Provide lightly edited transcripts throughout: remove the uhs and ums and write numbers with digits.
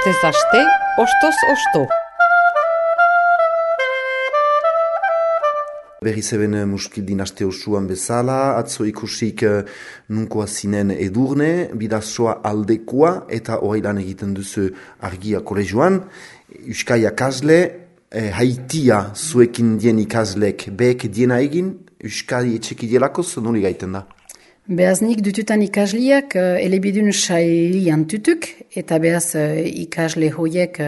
Astez aste, ostoz osto. Berriz eben muskildin aste osuan bezala, atzo ikusik nunkoa zinen Edurne, bidazoa aldekoa eta horreilan egiten duzu argia kolegioan. Euskai akasle, haitia zuekin dien ikaslek behek diena egin, Euskadi etxeki dielakoz, noli gaiten da? Behaz nik dututan ikasliak elebidun sailian tutuk, eta behaz ikasle hoiek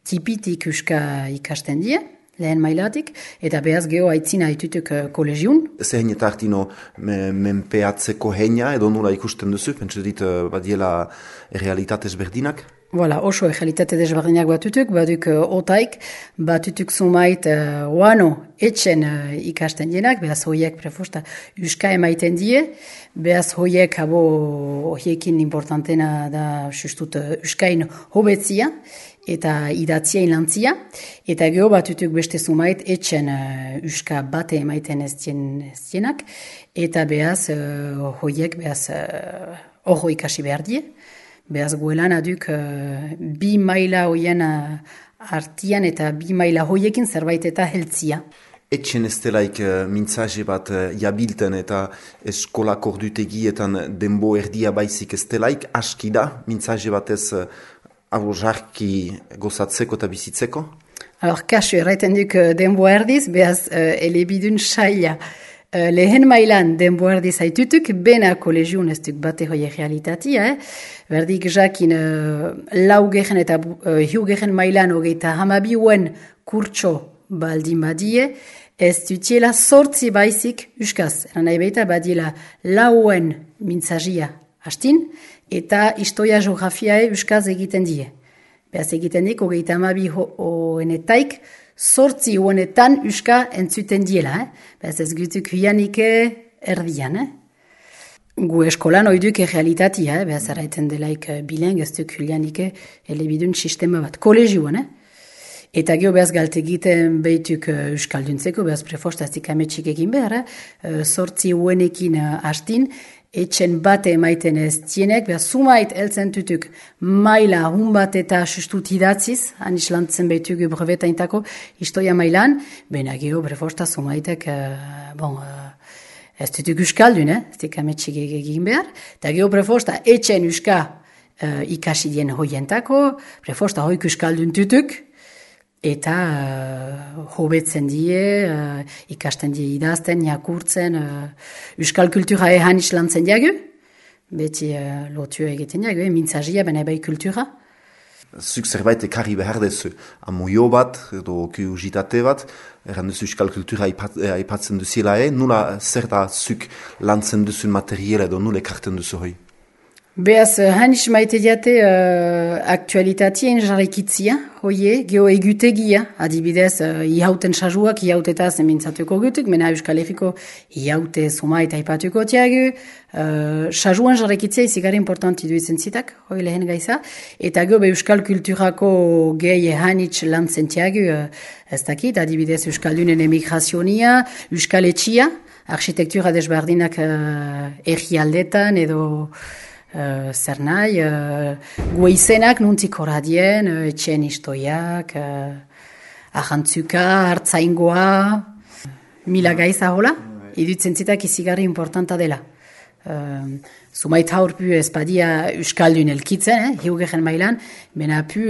tipitik euska ikasten die, lehen mailatik, eta behaz geho aitzina haitutuk kolegiun. Zehen eta hartino menpeatzeko heina edo nola ikusten duzu, pentsu dit badiela realitatez berdinak? Voilà, oso realitate desberdinak batutuk, baduk otaik, batutuk zumait oano etxen ikasten dienak, behaz hoiek prefosta euska emaiten die, behaz hoiek hoiekin importantena da justut euskain hobetzia, eta idatzia inlantzia, eta geho batutuk beste zumait etxen euska bate emaiten ez dienak, eta behaz hoiek behaz horro ikasi behar die. Behaz guelan aduk bi maila hoien artian eta bi maila hoiekin zerbait eta heltzia. Etxen ez delaik mintzaje bat jabilten eta eskolak ordutegietan denbo erdia baizik ez delaik, aski da mintzaje bat ez jarki gozatzeko eta bizitzeko? Kasu erraiten duk denbo erdiz, behaz elebidun saila. Lehen mailan denbo erdiz haitutuk, bena kolegiun ez duk bate hoi realitatea, Berdik jakin laugehen eta hiugehen mailan hogeita hamabiuen kurtso baldin badie, ez dutiela sortzi baizik euskaz. Eran nahi baita badiela lauen mintzazia hastin, eta historia geografiae euskaz egiten die. Beaz egiten dik, hogeita hamabi hoenetaik, sortzi hoenetan euska entzuten diela. Beaz ez gutuk huianike erdian. Gu eskolan oiduk realitatea, behaz erraiten delaik bileng ez duk hulianike elebidun sistema bat, kolegioan. Eta geho behaz galte egiten behituk euskalduntzeko, behaz prefostaztik ametsik egin behar, sortzi huenekin hastin, etxen bate emaiten ez dienek, behaz sumait eltzen tutuk maila hun bat eta sustut idatziz, han islantzen behituk brevetaintako historia mailan, bena geho prefosta sumaitek, ez dutuk euskaldun, ez dik ametsik egin behar. Eta geho prefosta etxen euska ikasi dien hoientako, prefosta hoik euskaldun tutuk, eta hobetzen die, ikasten die idazten, jakurtzen, euskal kultura ehan islantzen diagu, beti lotu egiten diagu, mintzazia bena bai kultura. Zuk zerbait ekarri behar dezu, amoio bat, edo kuriositate bat, erran duzu euskal kultura aipatzen duziela, nula zer da zuk lantzen duzun materiela edo nula ekarten duzu hoi? Beaz, hanis maite diate aktualitatien jarrikitzia, hoie, geho egutegia, adibidez, ihauten sajuak, ihautetaz emintzatuko gutuk, mena Euskal Herriko ihaute suma eta aipatuko tiagu, sajuan jarrikitzia izigari importanti duizen zitak, hoi lehen gaiza, eta geho Euskal Kulturako gehi hanitz lantzen tiagu, ez dakit, adibidez Euskaldunen emigrazionia, Euskal Etxia, arkitektura desberdinak errialdetan edo zer nahi, gue izenak nuntzik horadien, etxen istoiak, ahantzuka, hartzaingoa, mila gaiza hola, idutzen zitak izigarri importanta dela. Zumait haurpu ezpadia euskaldun elkitzen, hiugehen mailan, bena pu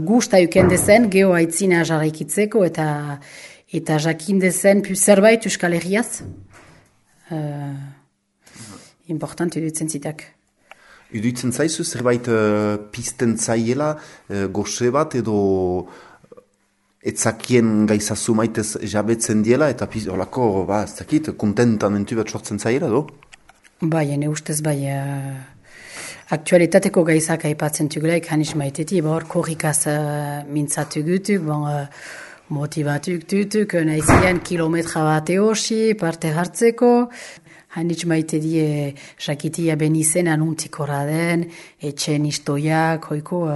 gusta eukendezen geho aitzina jarraikitzeko eta jakindezen pu zerbait euskal herriaz. Important idutzen zitak. Iduitzen zaizu, zerbait pizten zaiela, goxe bat edo etzakien gaizazu maitez jabetzen diela, eta holako, ez dakit, kontentamentu bat sortzen zaiela, do? Bai, ene ustez, bai, aktualitateko gaizak aipatzen tugulaik, hanis maiteti, hor korrikaz mintzatu gutuk, motivatuk tutuk, nahizian kilometra bat eosi, parte hartzeko, hanitz maite die jakitia benizen anuntik den, etxen istoiak, hoiko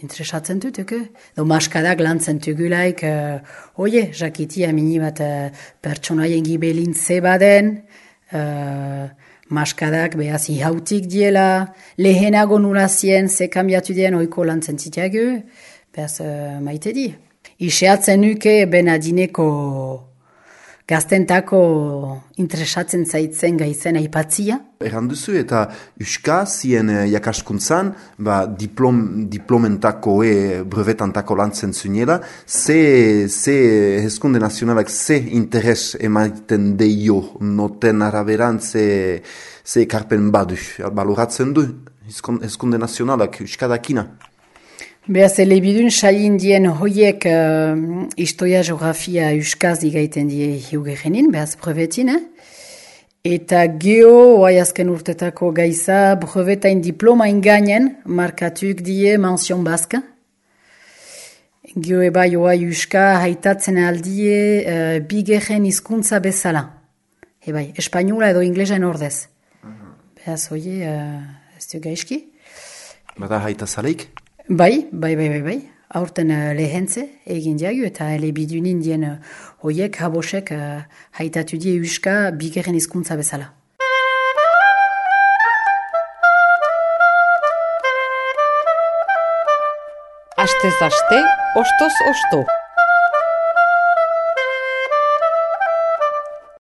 interesatzen dutuk. Maskadak lantzen tugulaik, oie, jakitia mini bat pertsonaien gibelintze baden, maskadak behaz ihautik diela, lehenago nula zien, ze kambiatu dien oiko lantzen zitiago, behaz maite di. Iseatzen nuke benadineko gaztentako interesatzen zaitzen gaitzen aipatzia. Erran duzu eta Euska zien jakaskuntzan, diplomentako brevetantako lantzen zunela, ze hezkunde nazionalak ze interes emaiten deio noten araberan ze ekarpen badu, baloratzen du hezkunde nazionalak Euskadakina. Beaz, elebidun sailin dien hoiek historia geografia euskaz digaiten die hiugerenin, beaz brevetin, Eta geho, oai azken urtetako gaiza, brevetain diplomain gainen, markatuk die mention baska. Geho eba oai euska haitatzen aldie bigeren hizkuntza bezala. Ebai, espainola edo inglesan ordez. Beaz, oie, ez du gaizki. Bada haita zaleik? Bai. Aurten lehentze egin diagu eta elebidun indien hoiek habosek haitatu die euska bigeren hizkuntza bezala. Astez aste, ostoz osto.